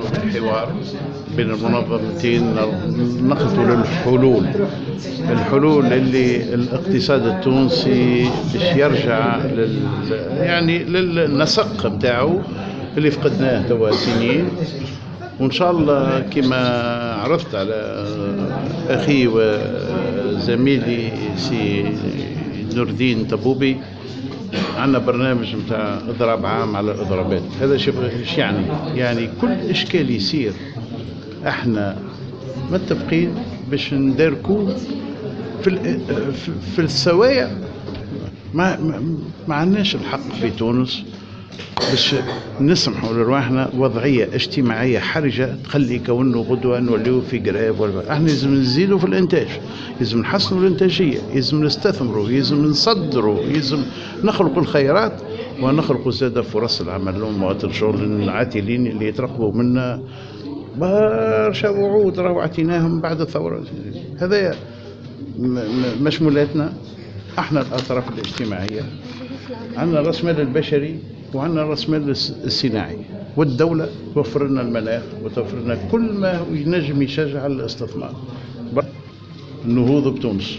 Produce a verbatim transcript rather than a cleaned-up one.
في حوار بين المنظمتين نخلطوا للحلول، الحلول اللي الاقتصاد التونسي باش يرجع لل يعني للنسق نتاعو اللي فقدناه توا سنين. وان شاء الله كما عرفت على اخي وزميلي سي نور الدين طبوبي، عندنا برنامج نتاع اضراب عام على الاضرابات. هذا شو يعني؟ يعني كل اشكال يصير احنا متفقين باش نداركوا في في السوايع. ما ما عندناش الحق في تونس باش نسمحوا لرواحنا وضعية اجتماعية حرجه تخلي كونه غدوه نوليو في grève. ولا احنا لازم نزيدوا في الانتاج، لازم نحسنوا الانتاجيه، لازم نستثمروا، لازم نصدروا، لازم نخلقوا الخيرات ونخلقوا زاد فرص العمل ومواطن الشغل العاطلين اللي يترقبوا منا برشا وعود راهو عطيناهم بعد الثوره. هذا مشمولاتنا احنا الاطراف الاجتماعيه، عندنا راس مال البشري وعندنا راس مال الصناعي، والدولة توفر لنا المناخ وتوفر لنا كل ما ينجم يشجع الاستثمار. النهوض بتونس.